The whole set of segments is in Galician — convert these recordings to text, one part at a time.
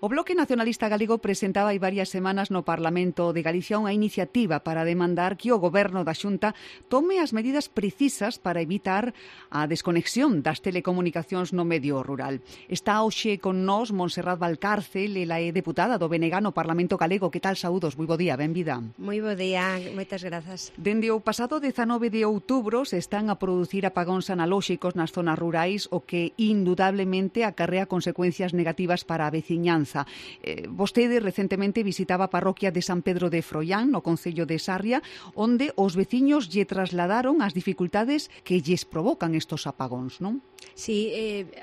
O Bloque Nacionalista Galego presentaba hai varias semanas no Parlamento de Galicia unha iniciativa para demandar que o Goberno da Xunta tome as medidas precisas para evitar a desconexión das telecomunicacións no medio rural. Está hoxe con nós Montserrat Valcárcel, ela é deputada do BNG no Parlamento Galego. Que tal, saúdos? Moi bo día, benvida. Moi bo día, moitas grazas. Dende o pasado 19 de outubro se están a producir apagóns analóxicos nas zonas rurais, o que indudablemente acarrea consecuencias negativas para a veciñanza. Vostede recentemente visitaba a parroquia de San Pedro de Froilán, no concello de Sarria, onde os veciños lle trasladaron as dificultades que lles provocan estos apagóns, non? Sí,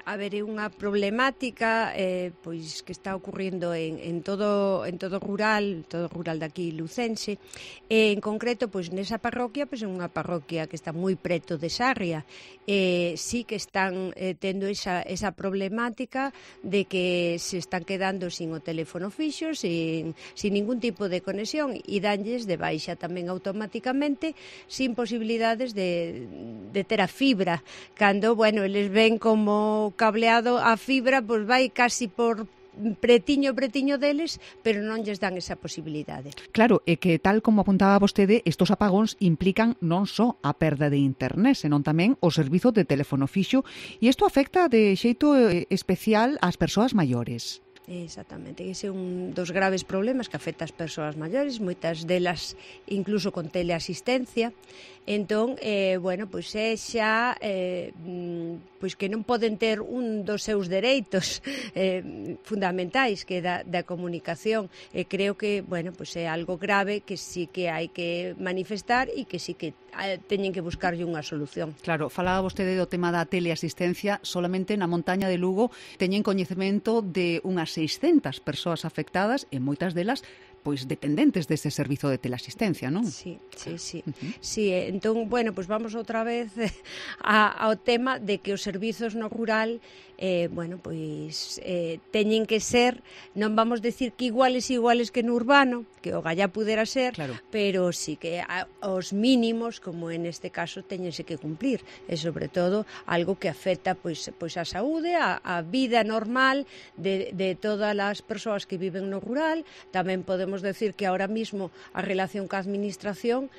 a ver, é unha problemática pois que está ocurrindo en todo rural de aquí lucense. En concreto, pois nesa parroquia, pois é unha parroquia que está moi preto de Sarria. Sí que están tendo esa problemática de que se están quedando sin o teléfono fixo, sin ningún tipo de conexión, e danlles de baixa tamén automáticamente, sin posibilidades de ter a fibra. Cando, bueno, eles ven como cableado a fibra, pois vai casi por pretiño deles, pero non lles dan esa posibilidade. Claro, é que tal como apuntaba vostede, estos apagóns implican non só a perda de internet, senón tamén o servizo de teléfono fixo, e isto afecta de xeito especial ás persoas maiores. Exactamente, ese é un dos graves problemas que afecta ás persoas maiores, moitas delas incluso con teleasistencia. Entón, bueno, pois é xa pois que non poden ter un dos seus dereitos fundamentais, que é da comunicación. E creo que, bueno, pois é algo grave que sí que hai que manifestar e que sí que teñen que buscarlle unha solución. Claro, falaba vostede do tema da teleasistencia. Solamente na montaña de Lugo teñen coñecemento de unhas 600 persoas afectadas e moitas delas pois dependentes dese servizo de teleasistencia, non? Sí. Sí, entón, bueno, pois vamos outra vez ao tema de que os servizos no rural bueno, pois teñen que ser, non vamos decir que iguales que no urbano, que o gallá pudera ser, claro, pero sí que os mínimos, como en este caso, teñense que cumplir, e sobre todo algo que afecta pois a saúde, a vida normal de todas as persoas que viven no rural. Tamén podemos decir que ahora mismo a relación ca administración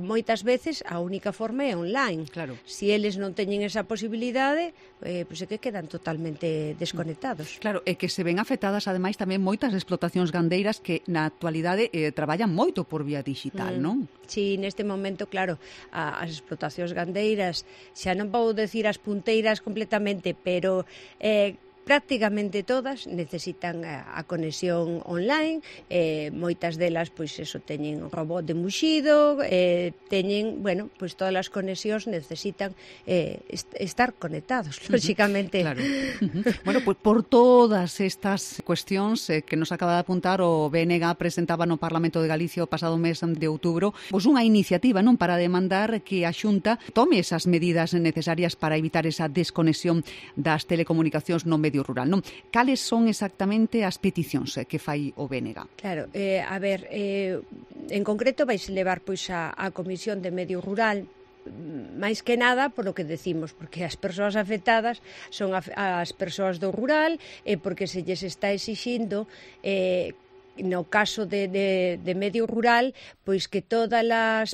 moitas veces a única forma é online. Claro. Si eles non teñen esa posibilidade, pois é que quedan totalmente desconectados. Claro, e que se ven afectadas ademais tamén moitas explotacións gandeiras que na actualidade traballan moito por vía digital, non? Sí, neste momento, claro, as explotacións gandeiras, xa non vou decir as punteiras completamente, pero prácticamente todas necesitan a conexión online, moitas delas pois eso teñen robot de muxido, teñen, bueno, pois todas as conexións necesitan estar conectados, lóxicamente. Claro. Bueno, pois por todas estas cuestións que nos acaba de apuntar, o BNG presentaba no Parlamento de Galicia o pasado mes de outubro pois unha iniciativa, non, para demandar que a Xunta tome esas medidas necesarias para evitar esa desconexión das telecomunicacións no medio rural, non? Cales son exactamente as peticións que fai o BNG? Claro, a ver, en concreto vais levar pois a Comisión de Medio Rural, máis que nada polo que decimos, porque as persoas afectadas son as persoas do rural, e porque se lles está exixindo no caso de medio rural, pois que todas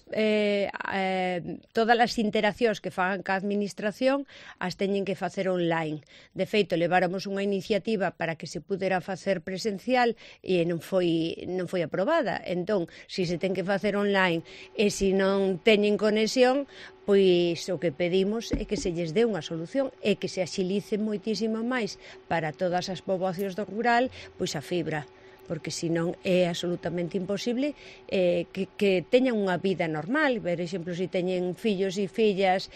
as interaccións que fagan ca administración as teñen que facer online. De feito, leváramos unha iniciativa para que se pudera facer presencial e non foi aprobada. Entón, se se ten que facer online e se non teñen conexión, pois o que pedimos é que se lles dé unha solución e que se axilice moitísimo máis para todas as poboacións do rural pois a fibra, porque senón é absolutamente imposible que teñan unha vida normal. Por exemplo, se teñen fillos e fillas,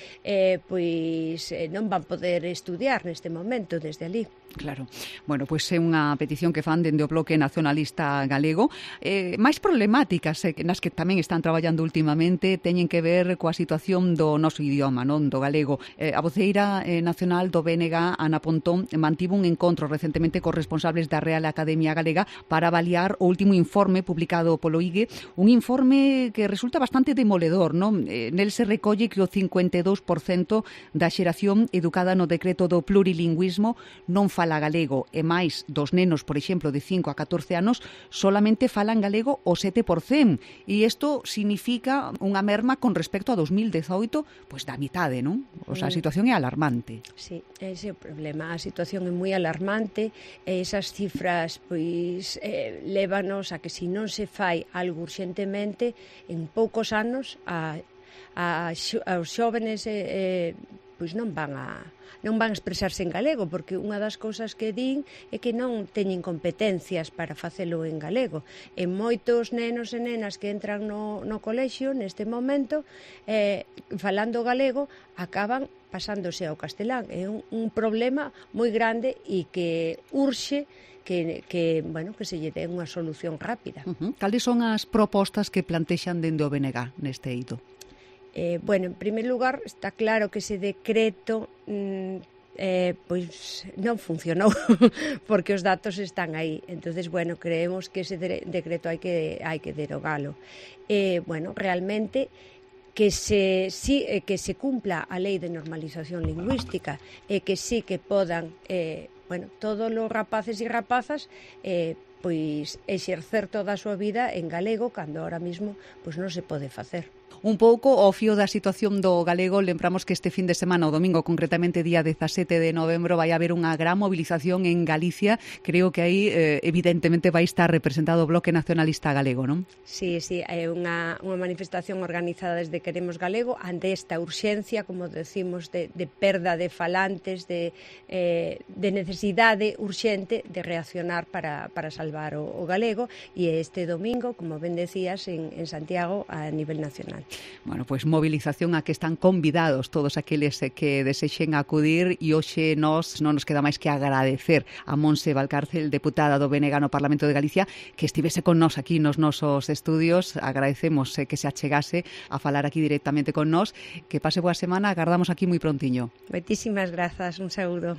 pois non van poder estudiar neste momento desde ali. Claro. Bueno, pois é unha petición que fan dende o Bloque Nacionalista Galego. Máis problemáticas nas que tamén están traballando últimamente teñen que ver coa situación do noso idioma, non, do galego. A voceira nacional do BNG, Ana Pontón, mantivo un encontro recentemente cos responsables da Real Academia Galega para avaliar o último informe publicado polo IGE, un informe que resulta bastante demoledor, non? Nel se recolle que o 52% da xeración educada no decreto do plurilingüismo non fala galego e máis dos nenos, por exemplo, de 5 a 14 anos, solamente falan galego o 7%. E isto significa unha merma con respecto a 2018, pois da mitade, non? O sea, a situación é alarmante. Sí, ese é o problema. A situación é moi alarmante e esas cifras pois lévanos a que se non se fai algo urxentemente, en poucos anos aos xóvenes pois non van a expresarse en galego, porque unha das cousas que din é que non teñen competencias para facelo en galego. E moitos nenos e nenas que entran no colexio neste momento, falando galego, acaban pasándose ao castelán. É un problema moi grande e que urxe que se lle dé unha solución rápida. Cales son as propostas que plantexan dende o BNG neste eido? En primer lugar, está claro que ese decreto pois non funcionou porque os datos están aí. Entonces, creemos que ese decreto hai que derogalo. Realmente que se cumpla a lei de normalización lingüística e que sí que podan todos os rapaces e rapazas pois exercer toda a súa vida en galego cando ahora mismo pois non se pode facer. Un pouco ao fío da situación do galego, lembramos que este fin de semana, o domingo, concretamente día 17 de novembro, vai haber unha gran movilización en Galicia. Creo que aí, evidentemente, vai estar representado o Bloque Nacionalista Galego, non? Sí, é unha manifestación organizada desde Queremos Galego ante esta urxencia, como decimos, de perda de falantes, de necesidade urxente de reaccionar para salvar o galego, e este domingo, como ben decías, en Santiago a nivel nacional. Bueno, pois movilización a que están convidados todos aqueles que desexen acudir, e hoxe non nos queda máis que agradecer a Montse Valcárcel, deputada do BNG no Parlamento de Galicia, que estivese con nós aquí nos nosos estudios. Agradecemos que se achegase a falar aquí directamente con nós. Que pase boa semana, agardamos aquí moi prontiño. Moitísimas grazas, un saúdo.